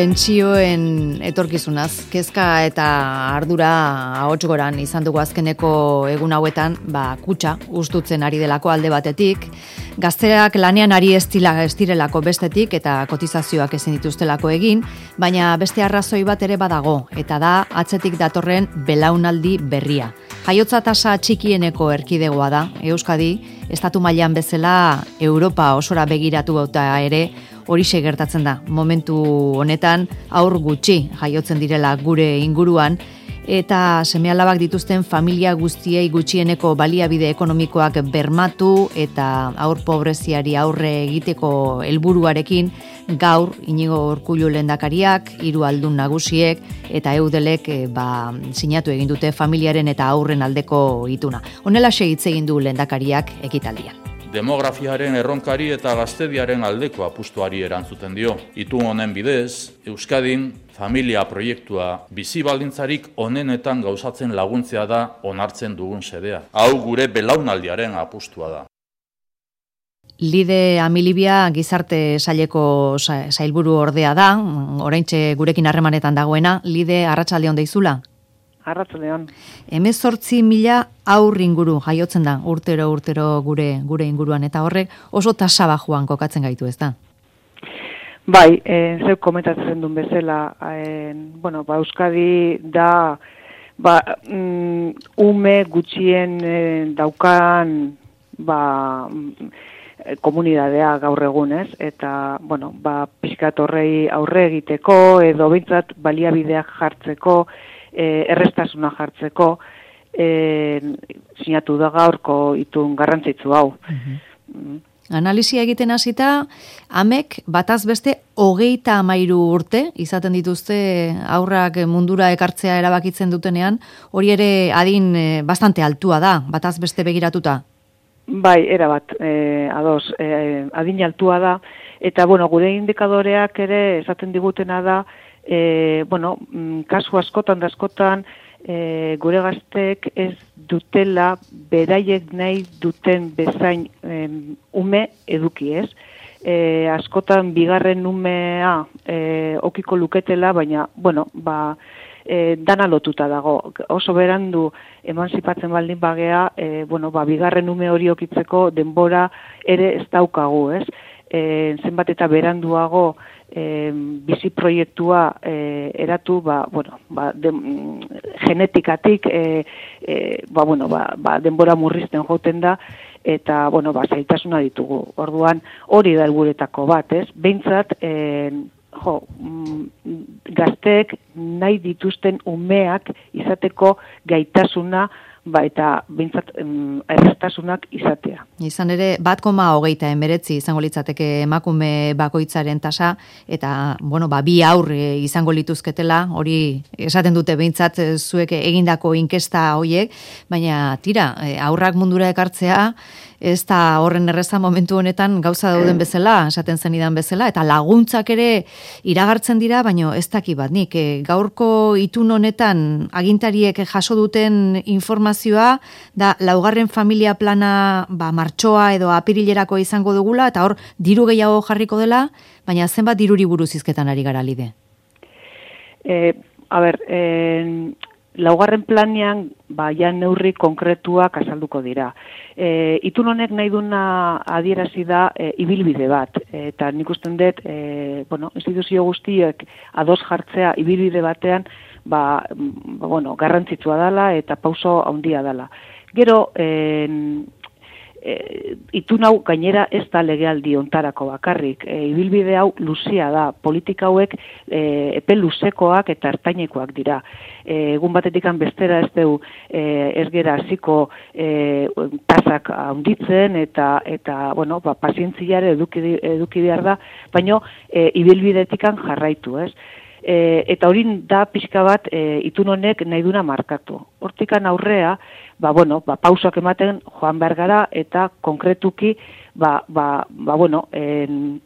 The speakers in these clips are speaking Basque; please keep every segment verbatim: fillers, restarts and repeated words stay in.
pentsioen etorkizunaz, kezka eta ardura ahots goran izan dugu azkeneko egun hauetan, ba, kutxa ustutzen ari delako alde batetik, gazteak lanean ari estila estirelako bestetik eta kotizazioak ezin dituztelako egin, baina beste arrazoi bat ere badago, eta da atzetik datorren belaunaldi berria. Jaiotza tasa txikieneko erkidegoa da, Euskadi, estatu mailan bezala Europa osora begiratu eta ere horixe gertatzen da. Momentu honetan aur gutxi jaiotzen direla gure inguruan, eta seme-alabak dituzten familia guztiei gutxieneko baliabide ekonomikoak bermatu eta aur pobreziari aurre egiteko helburuarekin gaur Inigo Urkullu lehendakariak, hiru aldun nagusiek eta Eudelek e, ba, sinatu egin dute familiaren eta aurren aldeko ituna. Honelaxe hitz egin du lehendakariak ekitaldian. Demografiaren erronkari eta gaztediaren aldeko apustuari erantzuten dio. Itun honen bidez, Euskadin familia proiektua bizi baldintzarik onenetan gauzatzen laguntzea da onartzen dugun xedea. Hau gure belaunaldiaren apustua da. Lide Amilibia gizarte saileko sailburu ordea da, oraintxe gurekin harremanetan dagoena. Lide, arratsaldeon deizula? Arratsaldeon. Hemezortzi mila aur inguru jaiotzen da urtero urtero gure gure inguruan eta horrek oso tasa bajuan kokatzen gaitu, ez da? Bai, eh, zeu komentatzen duen bezala, eh, bueno, ba, Euskadi da ba, mm, ume gutxien eh, daukan ba, komunidadea gaur egunez, eta, bueno, ba, pixkat horrei aurre egiteko, edo behintzat baliabideak jartzeko, e, errestasuna jartzeko, e, sinatu da gaurko itun garrantzitsu hau. Uh-huh. Analisia egiten hasita, amek bataz beste hogeita amairu urte, izaten dituzte aurrak mundura ekartzea erabakitzen dutenean, hori ere adin e, bastante altua da, bataz beste begiratuta. Bai, era bat, eh, ados, eh, adin altua da, eta, bueno, gure indikadoreak ere esaten digutena da, eh, bueno, kasu askotan da askotan, eh, gure gaztek ez dutela beraiek nahi duten bezain eh, ume eduki ez. Eh, askotan bigarren umea eh, okiko luketela, baina, bueno, ba, E, dana lotuta dago. Oso berandu emanzipatzen baldin bagea, e, bueno, ba, bigarren ume hori okitzeko denbora ere ez daukagu, ez? E, zenbat eta beranduago e, bizi proiektua e, eratu, ba, bueno, ba, de, genetikatik e, e, ba, bueno, ba, ba, denbora murrizten joten da, eta, bueno, ba, zailtasuna ditugu. Orduan, hori da helburuetako bat, ez? Behintzat, e, jo, gazteek nahi dituzten umeak izateko gaitasuna, ba, eta bintzat errestasunak izatea. Izan ere, bat koma hogeita emeretzi izango litzateke emakume bakoitzaren tasa, eta, bueno, ba, bi aurre izango lituzketela, hori esaten dute behintzat zuek egindako inkesta hoiek, baina tira, aurrak mundura ekartzea, ez da horren erreza momentu honetan gauza dauden bezala, esaten zenidan bezala, eta laguntzak ere iragartzen dira, baina ez daki bat nik. E, gaurko itun honetan agintariek jaso duten informazioa, da laugarren familia plana ba, martxoa edo apirilerako izango dugula, eta hor diru gehiago jarriko dela, baina zenbat diruri buruz hizketan ari gara, Lide? E, a ber, e, laugarren planean, ba, ja neurri konkretuak azalduko dira. E, itun honek nahi duna adierazi da e, ibilbide bat, eta nik usten dut, e, bueno, instituzio guztiek ados jartzea ibilbide batean, ba, ba, bueno, garrantzitsua dela eta pauso handia dela. Gero, e, E, itun hau gainera ez da legealdi ontarako bakarrik. E, ibilbide hau luzea da, politika hauek e, epe luzekoak eta ertainekoak dira. E, egun batetikan bestera ez du e, ez gera hasiko e, tasak handitzen eta eta bueno, ba, pazientziare eduki, eduki behar da, baina e, ibilbidetikan jarraitu, ez? E, eta hori da pixka bat e, itun honek nahi duna markatu. Hortikan aurrea, ba, bueno, ba, pausak ematen joan behar gara eta konkretuki ba, ba, ba, bueno, en,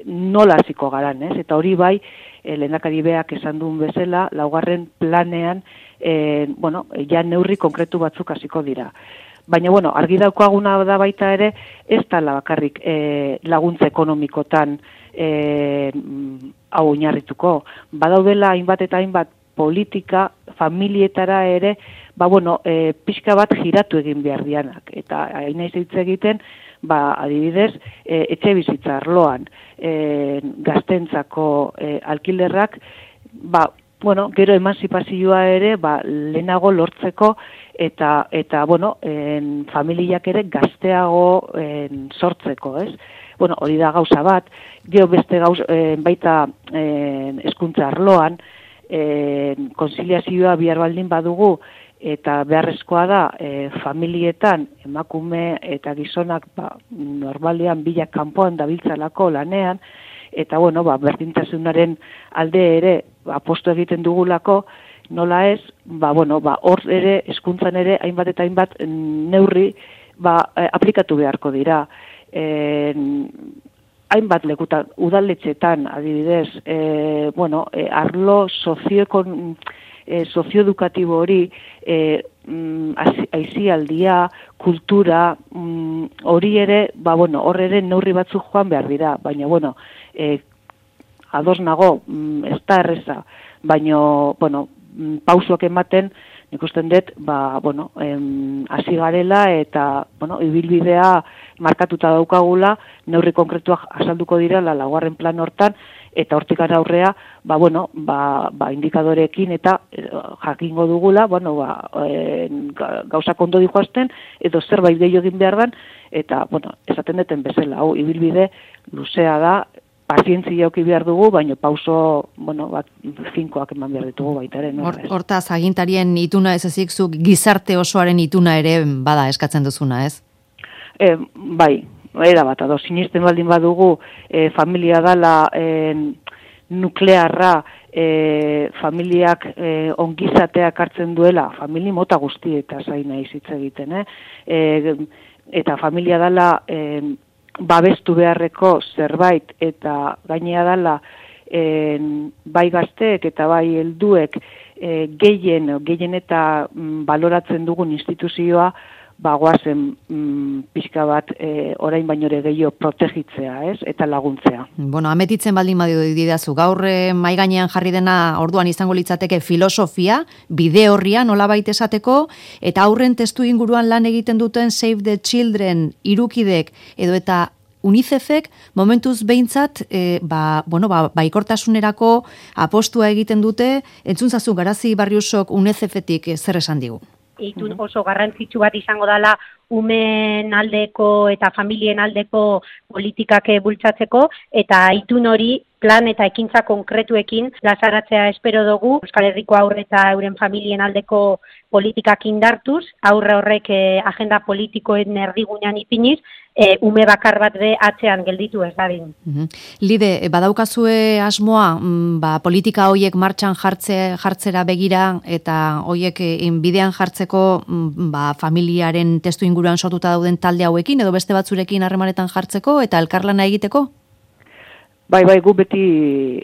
nola hasiko garan, ez? Eta hori bai, e, lehendakari beak esan duen bezala, laugarren planean, e, bueno, ja neurri konkretu batzuk hasiko dira. baina, bueno, argi daukaguna da baita ere, ez da bakarrik e, laguntza ekonomikotan e, hau oinarrituko. Badaudela hainbat eta hainbat politika, familietara ere, ba, bueno, e, pixka bat giratu egin behar dianak. Eta hain naiz hitz egiten, ba, adibidez, e, etxe bizitza arloan, e, gaztentzako e, alkilerrak, ba, bueno, gero emanzipazioa ere, ba, lehenago lortzeko, eta, eta bueno, en, familiak ere gazteago en, sortzeko, ez? Bueno, hori da gauza bat, gero beste gauz, en, baita en, hezkuntza arloan, en, konziliazioa bihar baldin badugu, eta beharrezkoa da e, familietan emakume eta gizonak ba, normalean bilak kanpoan dabiltzalako lanean, eta bueno, ba, berdintasunaren alde ere apostu egiten dugulako, nola ez, ba, bueno, ba, hor ere, hezkuntzan ere, hainbat eta hainbat neurri ba, aplikatu beharko dira. E, hainbat lekutan, udaletxetan, adibidez, e, bueno, e, arlo sozioekon E, sozioedukatibo hori, e, mm, aisialdia, kultura, mm, hori ere, ba, bueno, hor ere neurri batzuk joan behar dira, baina, bueno, e, ados nago, mm, ez da erreza, baina, bueno, pausuak ematen, nik usten dut, ba, bueno, em, hasi garela eta, bueno, ibilbidea markatuta daukagula, neurri konkretuak azalduko dira, la laugarren plan hortan, eta hortik aurrea, ba, bueno, ba, ba, indikadorekin eta e, jakingo dugula, bueno, ba, e, gauzak ondo dijoazten, edo zerbait gehiago egin behar dan, eta, bueno, esaten deten bezala, hau, ibilbide luzea da, pazientzia auki behar dugu, baina pauso, bueno, bat, finkoak eman behar ditugu baita ere. No? Hortaz, agintarien ituna ez ezik, zuk gizarte osoaren ituna ere bada eskatzen duzuna, ez? E, bai, era bat, ado, sinisten baldin badugu, e, familia dala e, nuklearra, e, familiak e, ongizateak hartzen duela, famili mota guzti eta zain nahi hitz egiten, eh? E, eta familia dala e, babestu beharreko zerbait eta gainea dala e, bai gazteek eta bai helduek e, gehien, gehien eta mm, baloratzen dugun instituzioa bagoazen mm, pixka bat e, orain baino ere gehiago protegitzea, ez? Eta laguntzea. Bueno, ametitzen baldin badio didazu, gaur mai gainean jarri dena orduan izango litzateke filosofia, bide horria nolabait esateko, eta aurren testu inguruan lan egiten duten Save the Children irukidek edo eta UNICEFek momentuz behintzat e, ba, bueno, ba, baikortasunerako apostua egiten dute, entzun zazu Garazi Barriusok UNICEFetik zer esan digu? Itun oso garrantzitsu bat izango dela umen aldeko eta familien aldeko politikak bultzatzeko, eta itun hori plan eta ekintza konkretuekin plazaratzea espero dugu. Euskal Herriko aurre eta euren familien aldeko politikak indartuz, aurre horrek eh, agenda politikoen erdigunean ipiniz, e, ume bakar bat be atzean gelditu ez dadin. Uh-huh. Lide, badaukazue asmoa, mm, ba, politika hoiek martxan jartze, jartzera begira eta hoiek bidean jartzeko mm, ba, familiaren testu inguruan sortuta dauden talde hauekin edo beste batzurekin harremanetan jartzeko eta elkarlana egiteko? Bai, bai, gu beti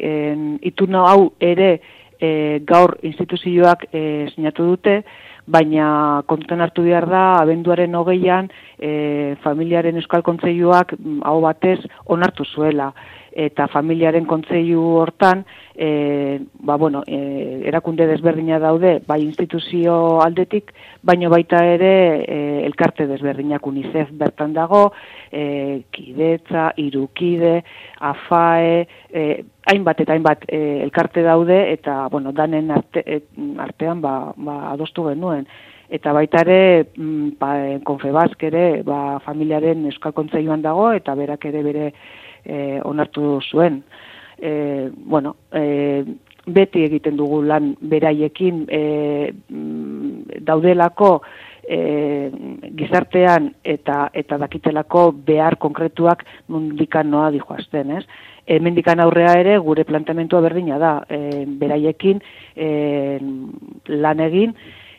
en, ituna hau ere e, gaur instituzioak e, sinatu dute, baina kontutan hartu behar da, abenduaren hogeian e, familiaren Euskal Kontseiluak hau batez onartu zuela. Eta familiaren kontseilu hortan, e, ba, bueno, e, erakunde desberdina daude, bai instituzio aldetik, baino baita ere e, elkarte desberdinak UNICEF bertan dago, e, Kidetza, Irukide, AFAE, e, hainbat eta hainbat e, elkarte daude, eta bueno, danen arte, e, artean ba, ba, adostu genuen. Eta baita ere, ba, Confebask ere, ba, familiaren Euskal Kontseiluan dago, eta berak ere bere E, onartu zuen. E, bueno, e, beti egiten dugu lan beraiekin e, daudelako e, gizartean eta eta dakitelako behar konkretuak mundikan noa dijoazten, ez? Hemendikan aurrea ere gure planteamentua berdina da, e, beraiekin e, lan egin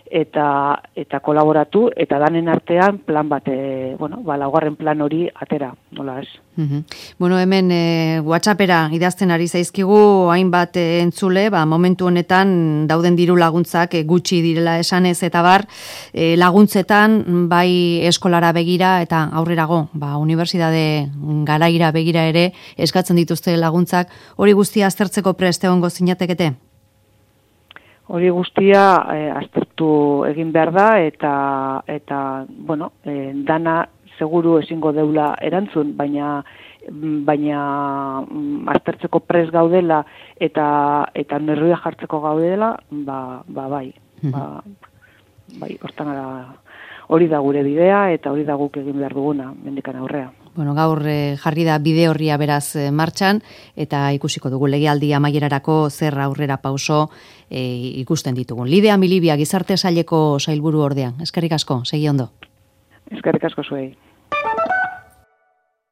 eta eta kolaboratu eta danen artean plan bat, e, bueno, ba laugarren plan hori atera, nola ez. Mm-hmm. Bueno, hemen e, WhatsAppera idazten ari zaizkigu hainbat e, entzule, ba, momentu honetan dauden diru laguntzak e, gutxi direla esanez eta bar, e, laguntzetan bai eskolara begira eta aurrerago, ba, unibertsitate garaira begira ere eskatzen dituzte laguntzak, hori guztia aztertzeko prest egongo zinatekete? Hori guztia e, aztertu egin behar da eta eta bueno, e, dana seguru ezingo deula erantzun, baina baina mm, aztertzeko pres gaudela eta eta neurria jartzeko gaudela, ba, ba bai. Ba, bai, hortan ara, hori da gure bidea eta hori da guk egin behar duguna mendikan aurrea. Bueno, gaur eh, jarri da bide horria beraz eh, martxan eta ikusiko dugu legealdi amaierarako zer aurrera pauso eh, ikusten ditugun. Lidea Milibia, Gizarte Saileko sailburu ordean. Eskerrik asko, segi ondo. Eskerrik asko zuei.